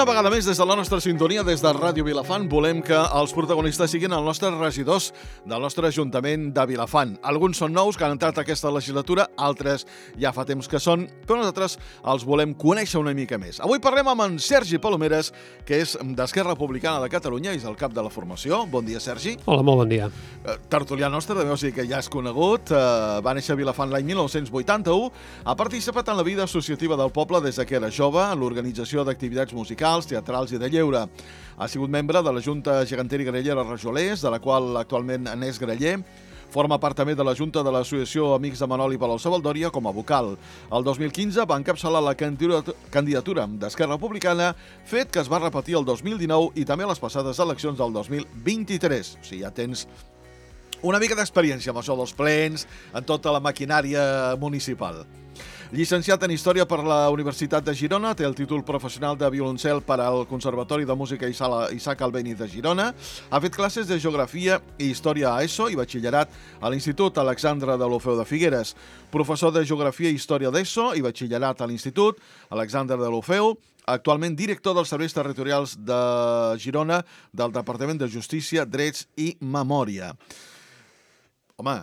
Una vegada més, des de la nostra sintonia, des de Ràdio Vilafant, volem que els protagonistes siguin els nostres regidors del nostre Ajuntament de Vilafant. Alguns són nous, que han entrat aquesta legislatura, altres ja fa temps que són, però nosaltres els volem conèixer una mica més. Avui parlem amb en Sergi Palomeres, que és d'Esquerra Republicana de Catalunya i és el cap de la formació. Bon dia, Sergi. Hola, molt bon dia. Tertulià nostre, de dir que ja és conegut. Va néixer a Vilafant l'any 1981. Ha participat en la vida associativa del poble des que era jove, en l'organització d'activitats musicals, teatrals i de lleure. Ha sigut membre de la Junta Gegantera i Grallera Rajolers, de la qual actualment n'és graller. Forma part també de la Junta de l'Associació Amics de Manoli Palau-Savaldòria com a vocal. El 2015 va encapçalar la candidatura d'Esquerra Republicana, fet que es va repetir el 2019 i també a les passades eleccions del 2023. O sigui, ja tens una mica d'experiència amb això dels plens, en tota la maquinària municipal. Llicenciat en Història per la Universitat de Girona, té el títol professional de violoncel per al Conservatori de Música Isaac Albéniz de Girona, ha fet classes de Geografia i Història a ESO i Batxillerat a l'Institut Alexandre Deulofeu de Figueres, professor de Geografia i Història d'ESO i Batxillerat a l'Institut Alexandre Deulofeu, actualment director dels Serveis Territorials de Girona del Departament de Justícia, Drets i Memòria. Home,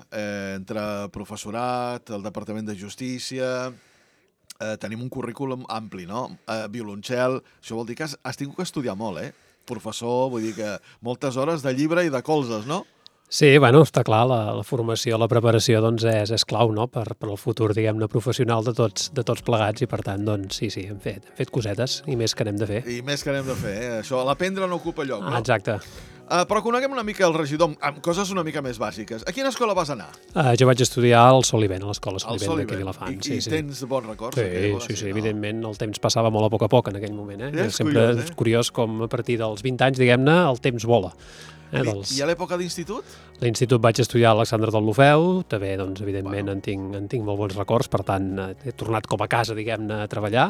entre professorat, el Departament de Justícia, tenim un currículum ampli, no? Violoncel, això vol dir que has tingut que estudiar molt, Professor, vull dir que moltes hores de llibre i de colzes, no? Sí, bueno, està clar, la formació, la preparació doncs és clau, no?, per al futur, diguem-ne, professional de tots plegats i, per tant, doncs, sí, hem fet cosetes i més que n'hem de fer. I més que n'hem de fer, Això, l'aprendre no ocupa lloc, no? Exacte. Però coneguem una mica el regidor amb coses una mica més bàsiques. A quina escola vas anar? Jo vaig estudiar al Solivent, a l'escola Solivent d'aquí a Vilafant. I tens bons records? Sí, evidentment, el temps passava molt a poc en aquell moment. Sempre és curiós com a partir dels 20 anys, diguem-ne, el temps vola. I a l'època d'institut? A l'institut vaig estudiar a Alexandre Deulofeu, també, doncs, evidentment, en tinc molt bons records, per tant, he tornat com a casa, diguem-ne, a treballar,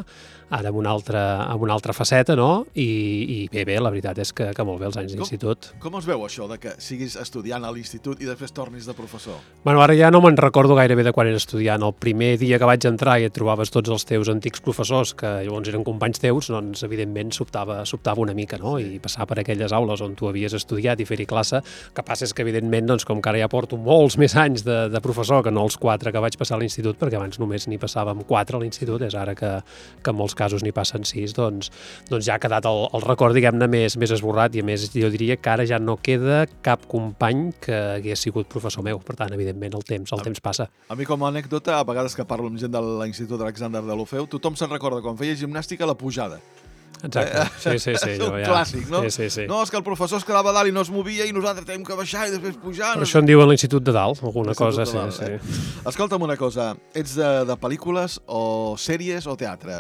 ara amb una altra faceta, no? I bé, la veritat és que molt bé els anys d'institut. Com es veu això, de que siguis estudiant a l'institut i després tornis de professor? Bueno, ara ja no me'n recordo gairebé de quan era estudiant. El primer dia que vaig entrar i et trobaves tots els teus antics professors, que llavors eren companys teus, doncs, evidentment, sobtava una mica, no? I passar per aquelles aules on tu havies estudiat i fer-hi classe. El que passa és que, evidentment, doncs, com que ara ja porto molts més anys de professor que no els 4 que vaig passar a l'institut, perquè abans només n'hi passàvem 4 a l'institut, és ara que en molts casos n'hi passen 6, doncs ja ha quedat el record, diguem-ne, més esborrat, i a més jo diria que ara ja no queda cap company que hagués sigut professor meu. Per tant, evidentment, el temps passa. A mi, com a anècdota, a vegades que parlo amb gent de l'Institut Alexandre Deulofeu, tothom se'n recorda quan feia gimnàstica a la pujada. Exacte, sí. És un clàssic, no? Sí. No, és que el professor es quedava a dalt i no es movia i nosaltres tenim que baixar i després pujar. Però això en diuen l'Institut de Dalt, alguna cosa, sí. Escolta'm una cosa, ets de pel·lícules o sèries o teatre?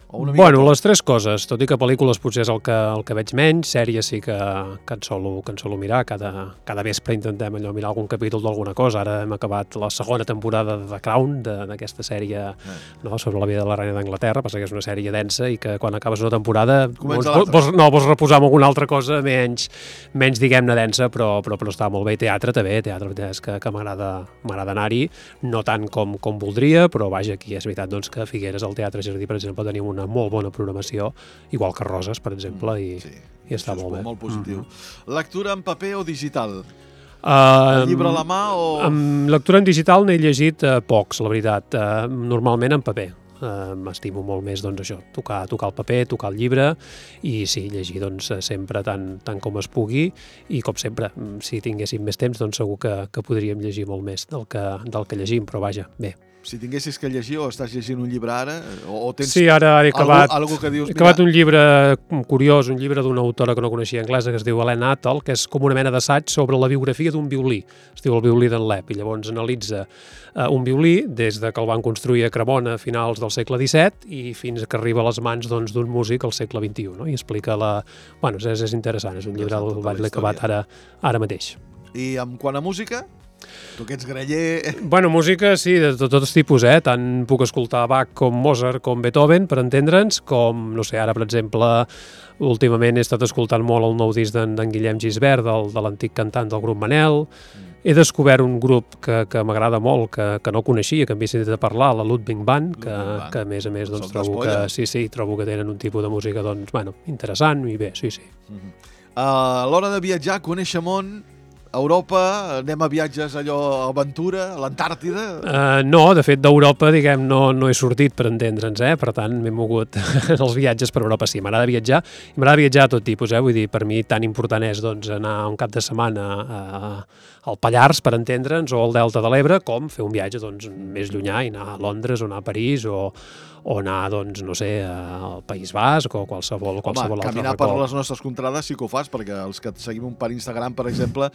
Bueno, les tres coses, tot i que pel·lícules potser és el que veig menys, sèries sí que en solo mirar, cada vespre intentem mirar algun capítol d'alguna cosa. Ara hem acabat la segona temporada de The Crown, d'aquesta sèrie sobre la vida de la reina d'Anglaterra, passa que és una sèrie densa i que quan acabes una temporada vols reposar amb alguna altra cosa menys diguem-ne densa, però està molt bé. Teatre també, és que m'agrada anar-hi, no tant com voldria, però vaja, aquí és veritat doncs, que a Figueres, al Teatre Jardí, per exemple, tenim una molt bona programació, igual que Roses, per exemple, i està molt bé. Molt positiu. Lectura en paper o digital? Llibre a la mà o...? Amb lectura en digital n'he llegit pocs, la veritat. Normalment en paper. M'estimo molt més, doncs, això, tocar el paper, tocar el llibre i sí, llegir, doncs, sempre tant com es pugui i, com sempre, si tinguéssim més temps, doncs segur que podríem llegir molt més del que llegim, però vaja, bé. Si tinguessis que llegir o estàs llegint un llibre ara o tens ara he acabat que dius, he acabat un llibre curiós, un llibre d'una autora que no coneixia anglesa, que es diu Helena Attal, que és com una mena d'assaig sobre la biografia d'un violí. Es diu El violí d'en Lep, i llavors analitza un violí des de que el van construir a Cremona a finals del segle XVII i fins que arriba a les mans d'un músic al segle XXI, no? I explica Bueno, és interessant, és un llibre del vaig l'he acabat ara mateix. I quant a música? Tu que ets graller... Bueno, música, sí, de tots tipus, Tant puc escoltar Bach com Mozart com Beethoven, per entendre'ns, com, no sé, ara, per exemple, últimament he estat escoltant molt el nou disc d'en Guillem Gisbert, de l'antic cantant del grup Manel, He descobert un grup que m'agrada molt, que no coneixia, que m'he sentit a parlar, la Ludwig Band, que a més doncs, trobo que tenen un tipus de música doncs, bueno, interessant i bé, sí. A l'hora de viatjar, conèixer món, Europa, anem a viatges allò, aventura, a l'Antàrtida? No, de fet d'Europa, diguem, no he sortit per entendre'ns, per tant m'he mogut els viatges per Europa, sí, m'agrada viatjar, i m'agrada viatjar a tot tipus, vull dir, per mi tan important és doncs, anar un cap de setmana al Pallars, per entendre'ns, o al Delta de l'Ebre, com fer un viatge doncs, més llunyà i anar a Londres o anar a París o anar, doncs, no sé, al País Basc o qualsevol altre racó. Caminar per les nostres contrades sí que ho fas, perquè els que et seguim per Instagram, per exemple,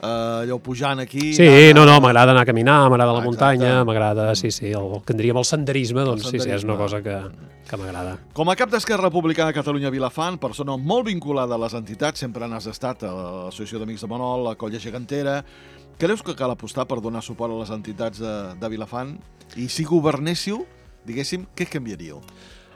allò pujant aquí... Sí, m'agrada anar a caminar, m'agrada la muntanya, m'agrada, el que en diríem el senderisme, doncs sí, és una cosa que m'agrada. Com a cap d'Esquerra Republicana de Catalunya Vilafant, persona molt vinculada a les entitats, sempre n'has estat a l'Associació d'Amics de Manol, a Colla Gegantera, creus que cal apostar per donar suport a les entitats de Vilafant? I si governéssiu, diguéssim, què canviaríeu?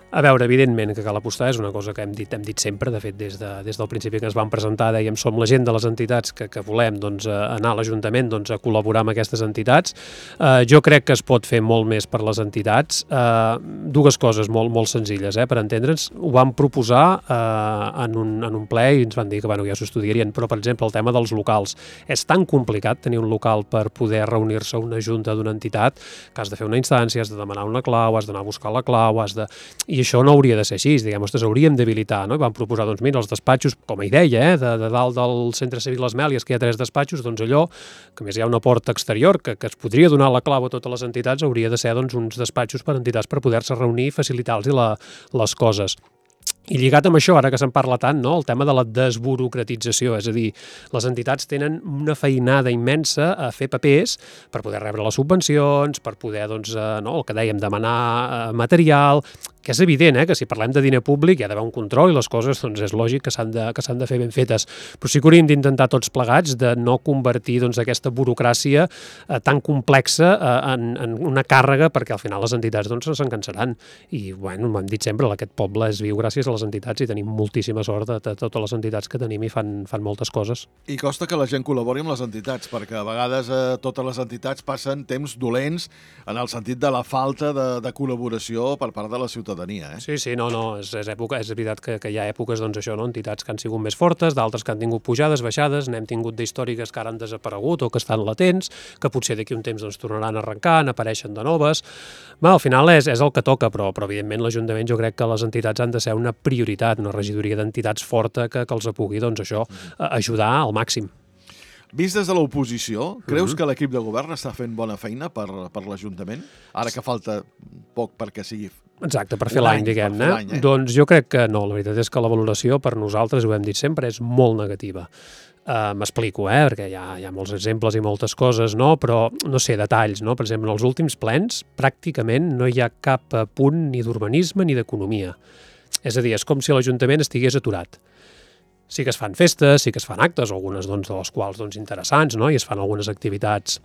A veure, evidentment que cal apostar, és una cosa que hem dit sempre, de fet, des del principi que ens vam presentar, dèiem, som la gent de les entitats que volem doncs, anar a l'Ajuntament doncs, a col·laborar amb aquestes entitats. Jo crec que es pot fer molt més per les entitats. Dues coses molt senzilles, per entendre'ns. Ho vam proposar en un ple i ens van dir que ja s'ho estudiarien, però, per exemple, el tema dels locals. És tan complicat tenir un local per poder reunir-se a una junta d'una entitat que has de fer una instància, has de demanar una clau, has d'anar a buscar la clau, i això no hauria de ser així, diguem, hauríem d'habilitar, no? I vam proposar, doncs mira, els despatxos, com a idea, de dalt del Centre Civil Les Mèlies, que hi ha 3 despatxos, doncs allò, que més hi ha una porta exterior, que es podria donar la clau a totes les entitats, hauria de ser doncs, uns despatxos per entitats per poder-se reunir i facilitar-los les coses. I lligat amb això, ara que se'n parla tant, no? El tema de la desburocratització, és a dir, les entitats tenen una feinada immensa a fer papers per poder rebre les subvencions, per poder, doncs, el que dèiem, demanar material, que és evident que si parlem de diner públic hi ha d'haver un control i les coses doncs, és lògic que s'han de fer ben fetes. Però sí que hauríem d'intentar tots plegats de no convertir doncs, aquesta burocràcia tan complexa en una càrrega, perquè al final les entitats doncs, se'n cansaran. I bueno, m'hem dit sempre, aquest poble es viu gràcies a les entitats i tenim moltíssima sort de totes les entitats que tenim i fan moltes coses. I costa que la gent col·labori amb les entitats, perquè a vegades totes les entitats passen temps dolents en el sentit de la falta de col·laboració per part de la ciutadania. Sí, és veritat que hi ha èpoques, doncs això, entitats que han sigut més fortes, d'altres que han tingut pujades, baixades, n'hem tingut d'històriques que ara han desaparegut o que estan latents, que potser d'aquí un temps doncs, tornaran a arrencar, n'apareixen de noves. Al final és el que toca, però evidentment l'Ajuntament jo crec que les entitats han de ser una prioritat, una regidoria d'entitats forta que els pugui, doncs això, ajudar al màxim. Vist des de l'oposició, creus que l'equip de govern està fent bona feina per l'Ajuntament? Ara que falta poc perquè sigui... Exacte, per fer l'any, diguem-ne. Doncs jo crec que no, la veritat és que la valoració per nosaltres, ho hem dit sempre, és molt negativa. M'explico, perquè hi ha molts exemples i moltes coses, no? Però, no sé, detalls, no? Per exemple, en els últims plens, pràcticament no hi ha cap punt ni d'urbanisme ni d'economia. És a dir, és com si l'Ajuntament estigués aturat. Sí que es fan festes, sí que es fan actes, algunes de les quals interessants, no? I es fan algunes activitats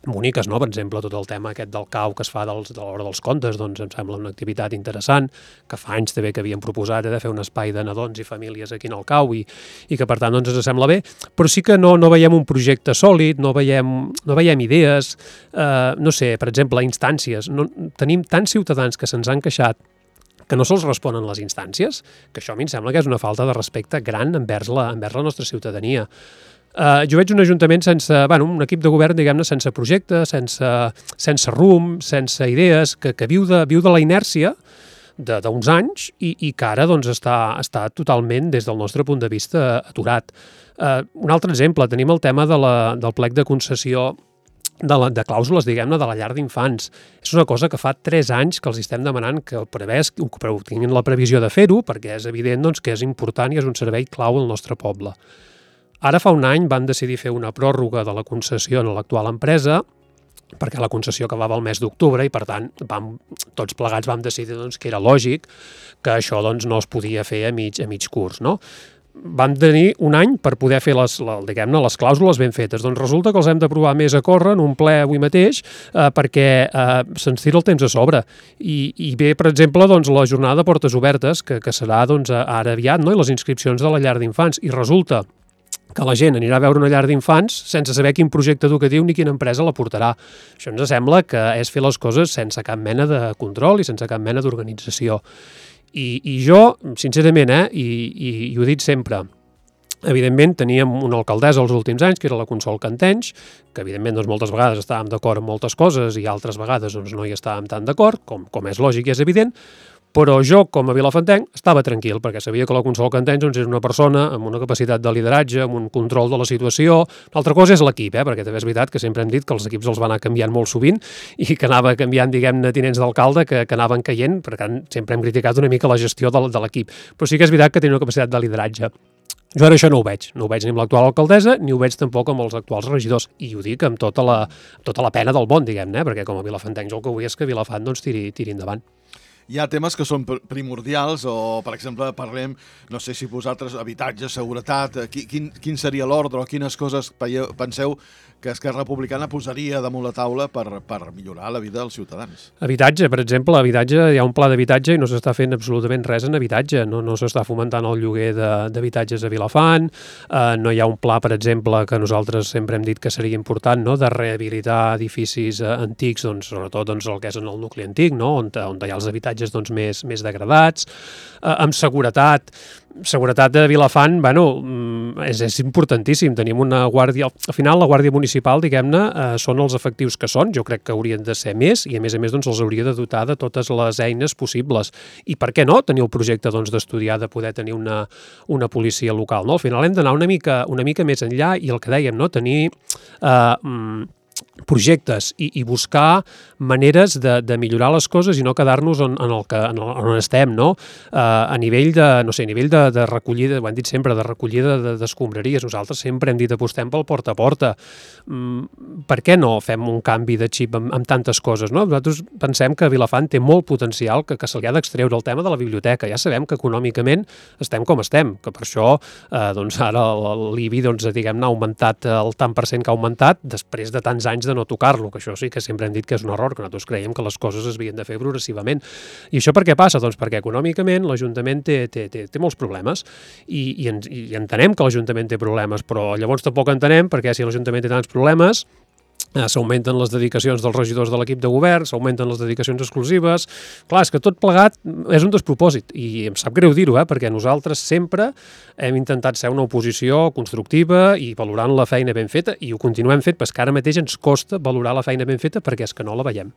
boniques, no? Per exemple, tot el tema aquest del cau que es fa de l'hora dels contes, doncs em sembla una activitat interessant, que fa anys també que havíem proposat de fer un espai de nadons i famílies aquí en el cau i que per tant ens sembla bé, però sí que no veiem un projecte sòlid, no veiem idees, no sé, per exemple, instàncies. Tenim tants ciutadans que se'ns han queixat que no se'ls responen les instàncies, que això a mi em sembla que és una falta de respecte gran envers la nostra ciutadania. Jo veig un ajuntament sense, un equip de govern, diguem-ne, sense projecte, sense rumb, sense idees, que viu de la inèrcia d'uns anys i que ara doncs, està totalment, des del nostre punt de vista, aturat. Un altre exemple, tenim el tema del plec de concessió de clàusules, diguem-ne, de la llar d'infants. És una cosa que fa 3 anys que els estem demanant que tinguin la previsió de fer-ho, perquè és evident doncs, que és important i és un servei clau al nostre poble. Ara fa un any van decidir fer una pròrroga de la concessió en l'actual empresa, perquè la concessió acabava el mes d'octubre i, per tant, tots plegats vam decidir doncs, que era lògic que això doncs, no es podia fer a mig curs, no? Vam tenir un any per poder fer les clàusules ben fetes. Doncs resulta que els hem d'aprovar més a córrer en un ple avui mateix perquè se'ns tira el temps a sobre. I ve, per exemple, doncs, la jornada de portes obertes, que serà doncs, ara aviat, no? I les inscripcions de la llar d'infants. I resulta que la gent anirà a veure una llar d'infants sense saber quin projecte educatiu ni quina empresa la portarà. Això ens sembla que és fer les coses sense cap mena de control i sense cap mena d'organització. I jo, sincerament, i ho he dit sempre, evidentment teníem una alcaldessa els últims anys, que era la Consol Cantenys, que evidentment doncs, moltes vegades estàvem d'acord amb moltes coses i altres vegades doncs, no hi estàvem tan d'acord, com és lògic i és evident, però jo, com a vilafantenc, estava tranquil, perquè sabia que la Consol Cantenys doncs, és una persona amb una capacitat de lideratge, amb un control de la situació. L'altra cosa és l'equip, perquè també és veritat que sempre hem dit que els equips els van anar canviant molt sovint i que anava canviant, diguem-ne, tinents d'alcalde que anaven caient, per tant, sempre hem criticat una mica la gestió de l'equip. Però sí que és veritat que tenia una capacitat de lideratge. Jo ara això no ho veig ni amb l'actual alcaldessa, ni ho veig tampoc amb els actuals regidors, i ho dic amb tota la pena del món, diguem-ne, perquè com a vilafantencs el que vull és que Vilafant doncs, tiri endavant. Hi ha temes que són primordials o, per exemple, parlem, no sé si vosaltres, habitatge, seguretat, quin seria l'ordre o quines coses penseu que Esquerra Republicana posaria damunt la taula per millorar la vida dels ciutadans? Habitatge, per exemple, hi ha un pla d'habitatge i no s'està fent absolutament res en habitatge, no s'està fomentant el lloguer d'habitatges a Vilafant, no hi ha un pla, per exemple, que nosaltres sempre hem dit que seria important, no?, de rehabilitar edificis antics, doncs, sobretot doncs, el que és en el nucli antic, no?, on hi ha els habitatges doncs, més degradats, amb seguretat de Vilafant, bueno, és importantíssim. Tenim una guàrdia... Al final, la Guàrdia Municipal, diguem-ne, són els efectius que són. Jo crec que haurien de ser més i, a més, doncs, els hauria de dotar de totes les eines possibles. I per què no tenir el projecte doncs, d'estudiar, de poder tenir una policia local, no? Al final hem d'anar una mica més enllà i el que dèiem, no?, tenir projectes i buscar maneres de millorar les coses i no quedar-nos on estem, no? A nivell de recollida, ho hem dit sempre, de recollida d'escombraries. Nosaltres sempre hem dit apostem pel porta a porta. Per què no fem un canvi de xip amb tantes coses, no? Nosaltres pensem que Vilafant té molt potencial, que se li ha d'extreure el tema de la biblioteca. Ja sabem que econòmicament estem com estem, que per això doncs ara l'IBI diguem-ne ha augmentat el tant per cent que ha augmentat després de tants anys de no tocar-lo, que això sí que sempre hem dit que és un error, que nosaltres creiem que les coses es havien de fer progressivament. I això per què passa? Doncs perquè econòmicament l'Ajuntament té molts problemes i entenem que l'Ajuntament té problemes, però llavors tampoc entenem perquè si l'Ajuntament té tants problemes s'augmenten les dedicacions dels regidors de l'equip de govern, s'augmenten les dedicacions exclusives. Clar, és que tot plegat és un despropòsit i em sap greu dir-ho, perquè nosaltres sempre hem intentat ser una oposició constructiva i valorant la feina ben feta i ho continuem fent, perquè ara mateix ens costa valorar la feina ben feta perquè és que no la veiem.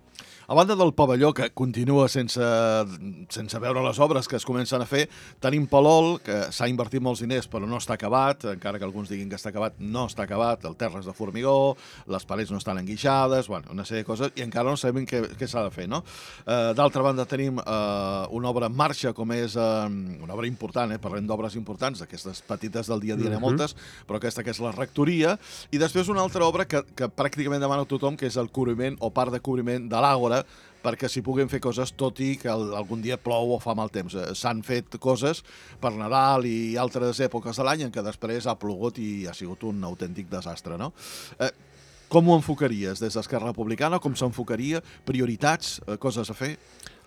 A banda del pavelló, que continua sense veure les obres que es comencen a fer, tenim Palol, que s'ha invertit molts diners però no està acabat, encara que alguns diguin que està acabat, no està acabat, el terra és de formigó, les parets no estan enguixades, bueno, una sèrie de coses, i encara no sabem què s'ha de fer, no? D'altra banda tenim una obra en marxa, com és una obra important, parlem d'obres importants, aquestes petites del dia a dia de moltes, però aquesta que és la rectoria, i després una altra obra que pràcticament demana a tothom, que és el cobriment o part de cobriment de l'Àgora, perquè s'hi puguin fer coses tot i que algun dia plou o fa mal temps. S'han fet coses per Nadal i altres èpoques de l'any en què després ha plogut i ha sigut un autèntic desastre, no? Com ho enfocaries des d'Esquerra Republicana? Com s'enfocaria? Prioritats? Coses a fer?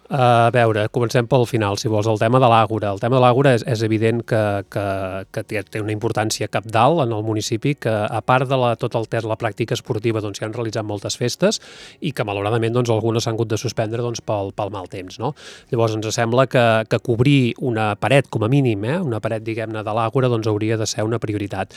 A veure, comencem pel final, si vols. El tema de l'Àgora. El tema de l'Àgora és evident que té una importància cabdal en el municipi, que a part de tot el que és la pràctica esportiva doncs, s'hi han realitzat moltes festes i que malauradament doncs, algunes s'han hagut de suspendre doncs, pel mal temps. No? Llavors ens sembla que cobrir una paret, com a mínim, una paret, diguem-ne, de l'Àgora, doncs hauria de ser una prioritat.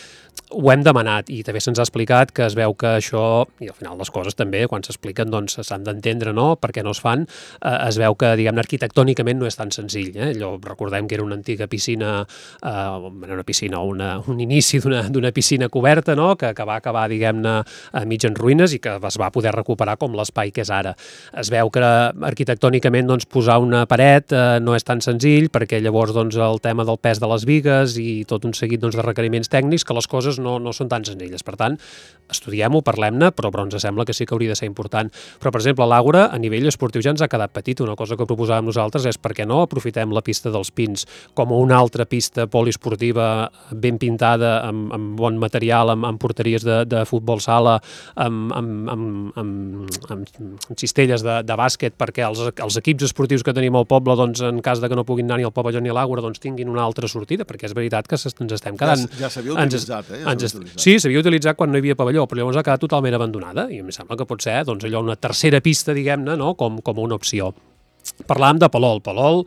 Ho hem demanat i també se'ns ha explicat que es veu que això, i al final les coses també, quan s'expliquen, doncs s'han d'entendre, no?, per què no es fan, es veu que, diguem-ne, arquitectònicament no és tan senzill. Allò, recordem que era una antiga piscina, un inici d'una piscina coberta, no?, que va acabar, diguem-ne, a mig en ruïnes i que es va poder recuperar com l'espai que és ara. Es veu que arquitectònicament doncs, posar una paret no és tan senzill perquè llavors doncs, el tema del pes de les bigues i tot un seguit doncs, de requeriments tècnics que les coses no són tan senzilles. Per tant, estudiem-ho, parlem-ne, però ens sembla que sí que hauria de ser important. Però, per exemple, l'Àgora, a nivell esportiu ja ens ha quedat petit, una cosa cosa que proposàvem nosaltres és per què no aprofitem la pista dels Pins com una altra pista poliesportiva ben pintada, amb bon material, amb porteries de futbol sala, amb cistelles de bàsquet, perquè els equips esportius que tenim al poble, doncs, en cas de que no puguin anar ni al pavelló ni a l'Àgora, doncs tinguin una altra sortida, perquè és veritat que ens estem quedant... Ja s'havia utilitzat, Sí, s'havia utilitzat quan no hi havia pavelló, però llavors ha quedat totalment abandonada, i em sembla que pot ser, doncs, allò una tercera pista, diguem-ne, no? com una opció. Parlàvem de Palol. Palol,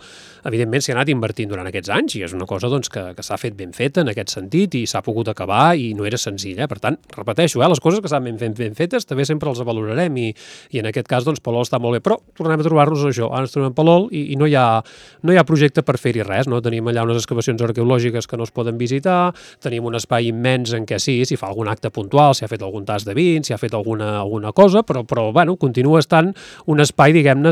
evidentment, s'hi ha anat invertint durant aquests anys i és una cosa doncs, que s'ha fet ben feta en aquest sentit i s'ha pogut acabar i no era senzill. Per tant, repeteixo, les coses que s'han ben fetes també sempre els valorarem i en aquest cas doncs, Palol està molt bé. Però tornem a trobar-nos això. Ara ens trobem Palol i no hi ha projecte per fer-hi res. No? Tenim allà unes excavacions arqueològiques que no es poden visitar, tenim un espai immens en què sí, s'hi fa algun acte puntual, s'hi ha fet algun tas de vins, s'hi ha fet alguna cosa, però bueno, continua estant un espai, diguem-ne,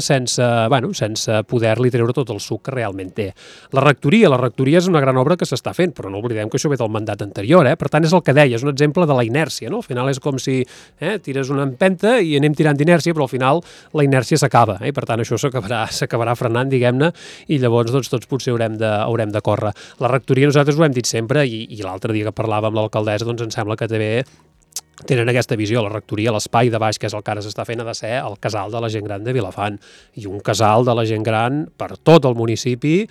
sense poder-li treure tot el suc que realment té. La rectoria és una gran obra que s'està fent, però no oblidem que això ve del mandat anterior, Per tant, és el que deia, és un exemple de la inèrcia, no? Al final és com si tires una empenta i anem tirant d'inèrcia, però al final la inèrcia s'acaba, I per tant això s'acabarà frenant, diguem-ne, i llavors doncs, tots potser haurem de córrer. La rectoria nosaltres ho hem dit sempre, i l'altre dia que parlàvem amb l'alcaldessa, doncs em sembla que també tenen aquesta visió, la rectoria, l'espai de baix, que és el que ara s'està fent, ha de ser el casal de la gent gran de Vilafant, i un casal de la gent gran per tot el municipi,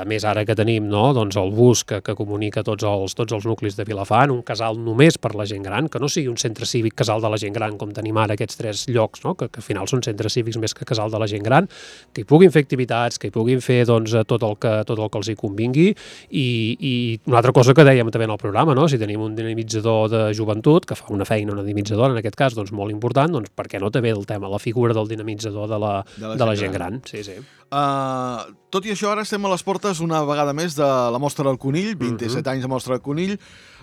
més ara que tenim doncs el bus que comunica tots els nuclis de Vilafant, un casal només per la gent gran, que no sigui un centre cívic casal de la gent gran, com tenim ara aquests 3 llocs, que al final són centres cívics més que casal de la gent gran, que hi puguin fer activitats, que hi puguin fer tot el que els hi convingui, i una altra cosa que dèiem també en el programa, si tenim un dinamitzador de joventut, que fa una feina, una dinamitzadora, en aquest cas, doncs molt important, doncs per què no també el tema, la figura del dinamitzador de la gent gran. Sí. Tot i això, ara estem a les portes una vegada més de la Mostra del Conill, 27 anys de Mostra del Conill.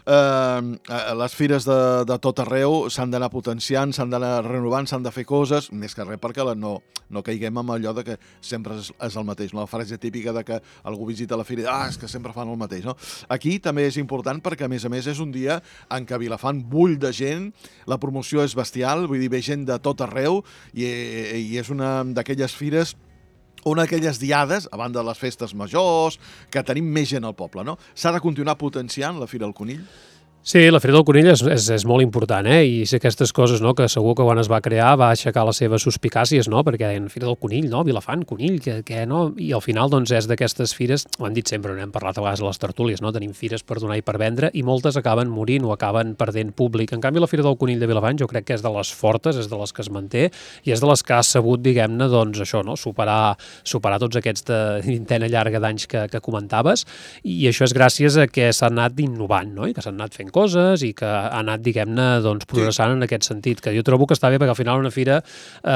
Les fires de tot arreu s'han d'anar potenciant, s'han d'anar renovant, s'han de fer coses, més que res perquè no caiguem amb allò de que sempre és el mateix, la frase típica de que algú visita la fira i és que sempre fan el mateix. Aquí també és important perquè, a més, és un dia en què Vilafant bull de gent, la promoció és bestial, vull dir, ve gent de tot arreu i és una d'aquelles fires, una d'aquelles diades, a banda de les festes majors, que tenim més gent al poble, no? S'ha de continuar potenciant la Fira del Conill? Sí, la Fira del Conill és molt important, i és aquestes coses, que segur que quan es va crear va aixecar les seves suspicàcies, perquè deien Fira del Conill, Vilafant, Conill, què no? I al final, doncs, és d'aquestes fires, ho han dit sempre, n'hem parlat a vegades a les tertúlies, tenim fires per donar i per vendre, i moltes acaben morint o acaben perdent públic. En canvi, la Fira del Conill de Vilafant jo crec que és de les fortes, és de les que es manté, i és de les que ha sabut, diguem-ne, doncs, això, superar tots aquests de vintena llarga d'anys que comentaves, i això és gràcies a que s'ha anat innovant, i que s'han anat fent coses i que ha anat, diguem-ne, doncs, progressant en aquest sentit, que jo trobo que està bé perquè al final una fira,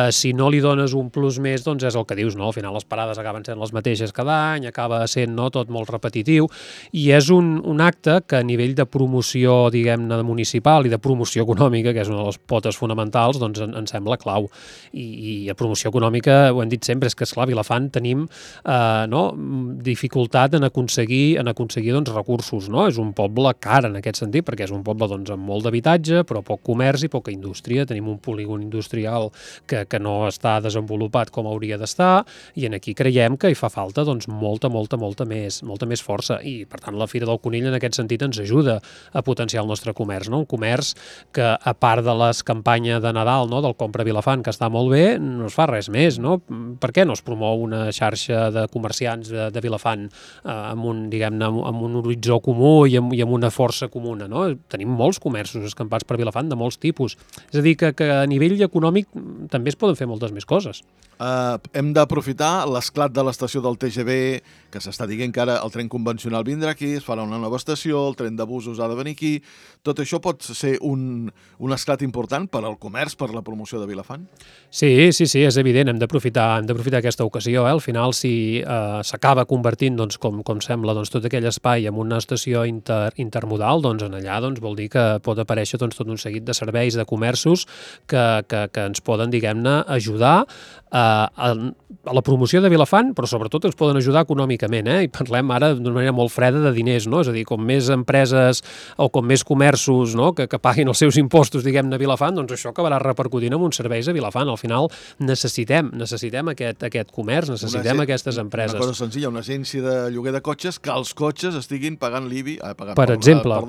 si no li dones un plus més, doncs és el que dius, al final les parades acaben sent les mateixes cada any, acaba sent tot molt repetitiu, i és un acte que a nivell de promoció, diguem-ne, municipal i de promoció econòmica, que és una de les potes fonamentals, doncs ens sembla clau. I a promoció econòmica, ho hem dit sempre, és que, esclar, a Vilafant tenim dificultat en aconseguir doncs, recursos, És un poble car en aquest sentit, perquè és un poble doncs, amb molt d'habitatge, però poc comerç i poca indústria. Tenim un polígon industrial que no està desenvolupat com hauria d'estar, i aquí creiem que hi fa falta doncs, molta més força. I, per tant, la Fira del Conill en aquest sentit ens ajuda a potenciar el nostre comerç. Un comerç que, a part de les campanyes de Nadal, del Compra Vilafant, que està molt bé, no es fa res més. Per què no es promou una xarxa de comerciants de Vilafant amb un horitzó comú i amb una força comuna? Tenim molts comerços escampats per Vilafant de molts tipus. És a dir, que a nivell econòmic també es poden fer moltes més coses. Hem d'aprofitar l'esclat de l'estació del TGV, que s'està dient que ara el tren convencional vindrà aquí, es farà una nova estació, el tren de busos ha de venir aquí. Tot això pot ser un esclat important per al comerç, per la promoció de Vilafant? Sí, és evident, hem d'aprofitar aquesta ocasió. Al final, si s'acaba convertint, doncs, com sembla, doncs, tot aquell espai en una estació intermodal, doncs allà allà doncs, vol dir que pot aparèixer doncs, tot un seguit de serveis, de comerços que ens poden, diguem-ne, ajudar a la promoció de Vilafant, però sobretot ens poden ajudar econòmicament, i parlem ara d'una manera molt freda de diners, no? És a dir, com més empreses o com més comerços, no? que paguin els seus impostos, diguem-ne, a Vilafant, doncs això acabarà repercutint en uns serveis a Vilafant. Al final necessitem aquest comerç, necessitem aquestes empreses. Una cosa senzilla, una agència de lloguer de cotxes, que els cotxes estiguin pagant l'IBI, per exemple,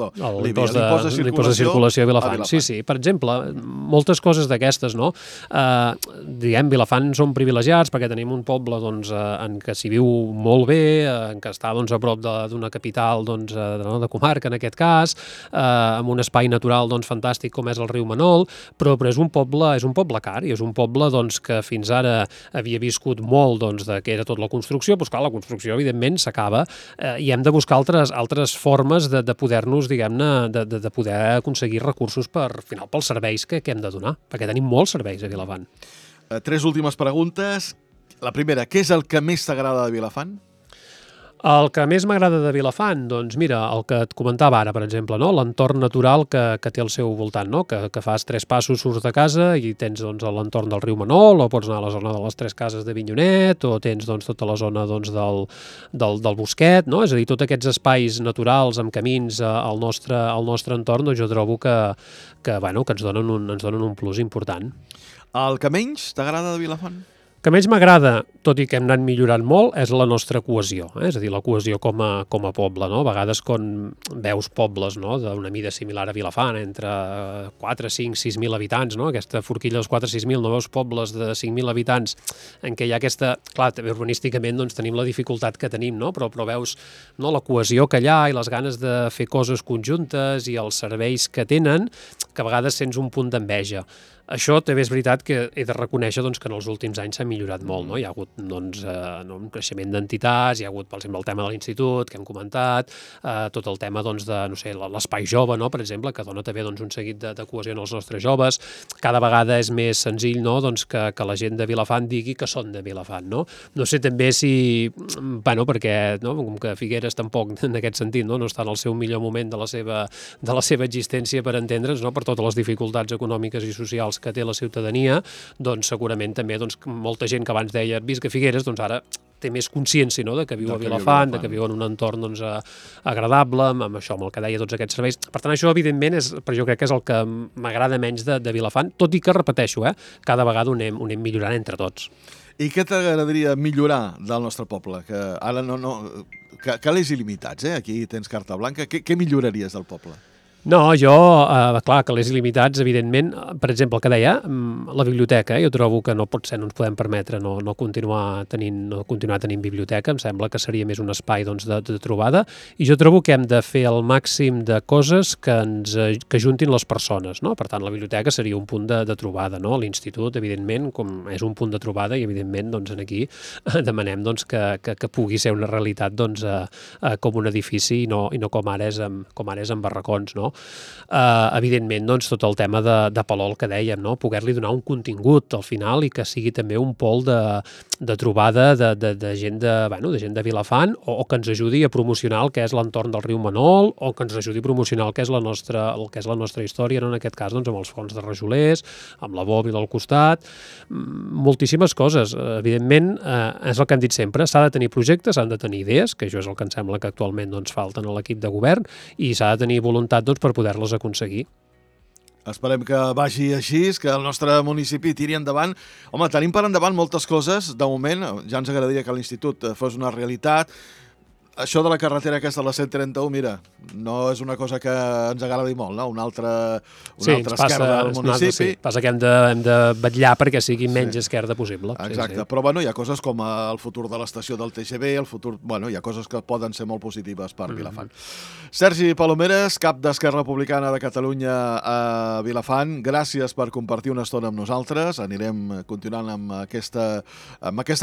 l'impost de circulació a Vilafant. Sí, per exemple, moltes coses d'aquestes, no? Diguem, Vilafant som privilegiats perquè tenim un poble doncs, en què s'hi viu molt bé, en què està doncs, a prop d'una capital doncs, de comarca, en aquest cas, amb un espai natural doncs, fantàstic com és el riu Manol, però és un poble car i és un poble doncs, que fins ara havia viscut molt doncs, de que era tot la construcció, doncs clar, la construcció evidentment s'acaba i hem de buscar altres formes de poder-nos, diguem-ne, de poder aconseguir recursos al final pels serveis que hem de donar, perquè tenim molts serveis a Vilafant. 3 últimes preguntes. La primera, què és el que més t'agrada de Vilafant? El que més m'agrada de Vilafant, doncs mira, el que et comentava ara, per exemple, no? L'entorn natural que té al seu voltant, no? Que fas 3 passos, surts de casa i tens doncs, l'entorn del riu Manol, o pots anar a la zona de les 3 cases de Vinyonet, o tens doncs, tota la zona doncs, del Bosquet, no? És a dir, tots aquests espais naturals amb camins al nostre entorn, doncs jo trobo que ens donen un plus important. El que menys t'agrada de Vilafant? El que menys m'agrada, tot i que hem anat millorant molt, és la nostra cohesió, és a dir, la cohesió com a poble, no? A vegades quan veus pobles, no? D'una mida similar a Vilafant, entre 4, 5, 6.000 habitants, no? Aquesta forquilla dels 4, 6.000, no veus pobles de 5.000 habitants en què hi ha aquesta... Clar, també urbanísticament doncs, tenim la dificultat que tenim, no? Però veus no? La cohesió que hi ha i les ganes de fer coses conjuntes i els serveis que tenen, que a vegades sents un punt d'enveja. Això també és veritat que he de reconèixer doncs, que en els últims anys s'ha millorat molt. No? Hi ha hagut doncs, un creixement d'entitats, hi ha hagut, per exemple, el tema de l'institut, que hem comentat, tot el tema doncs, de l'espai jove, no? Per exemple, que dona també doncs, un seguit de cohesió en els nostres joves. Cada vegada és més senzill no? doncs, que la gent de Vilafant digui que són de Vilafant. No sé també si... perquè no? Com que Figueres tampoc, en aquest sentit, no està en el seu millor moment de la seva existència per entendre's, no? Per totes les dificultats econòmiques i socials que té la ciutadania, doncs segurament també doncs, molta gent que abans deia visc a Figueres, doncs ara té més consciència no? De que viu a Vilafant, de que viu en un entorn doncs, agradable, amb això, amb el que deia tots aquests serveis. Per tant, això evidentment jo crec que és el que m'agrada menys de Vilafant, tot i que, repeteixo, cada vegada ho anem millorant entre tots. I què t'agradaria millorar del nostre poble? Que ara que l'és il·limitats, aquí tens carta blanca. Què milloraries del poble? No, jo, clar, que les il·limitats, evidentment, per exemple, el que deia, la biblioteca, jo trobo que no pot ser, no ens podem permetre no continuar tenint biblioteca, em sembla que seria més un espai doncs, de trobada, i jo trobo que hem de fer el màxim de coses que juntin les persones, no? Per tant, la biblioteca seria un punt de trobada, no? L'institut, evidentment, com és un punt de trobada, i evidentment, doncs, aquí demanem doncs, que pugui ser una realitat doncs, com un edifici i no com ara és amb barracons, no? Evidentment, doncs, tot el tema de Palol que dèiem, no? Poder-li donar un contingut al final i que sigui també un pol de trobada de gent de Vilafant o que ens ajudi a promocionar el que és l'entorn del riu Manol o que ens ajudi a promocionar el que és la nostra història, no? En aquest cas doncs, amb els fons de Rajolers, amb la bòbila al costat, moltíssimes coses. Evidentment, és el que hem dit sempre, s'ha de tenir projectes, s'han de tenir idees, que això és el que em sembla que actualment doncs, falten a l'equip de govern, i s'ha de tenir voluntat doncs, per poder-les aconseguir. Esperem que vagi així, que el nostre municipi tiri endavant. Home, tenim per endavant moltes coses. De moment, ja ens agradaria que l'institut fos una realitat. Això de la carretera aquesta, la 131, mira, no és una cosa que ens agradi molt, no? Una altra esquerda del municipi. Sí, passa que hem de vetllar perquè sigui menys esquerda possible. Exacte, però bueno, hi ha coses com el futur de l'estació del TGV, hi ha coses que poden ser molt positives per Vilafant. Sergi Palomeres, cap d'Esquerra Republicana de Catalunya a Vilafant, gràcies per compartir una estona amb nosaltres. Anirem continuant amb aquesta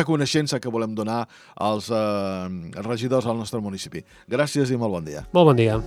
coneixença que volem donar als regidors al nostre municipi. Gràcies i molt bon dia. Molt bon dia.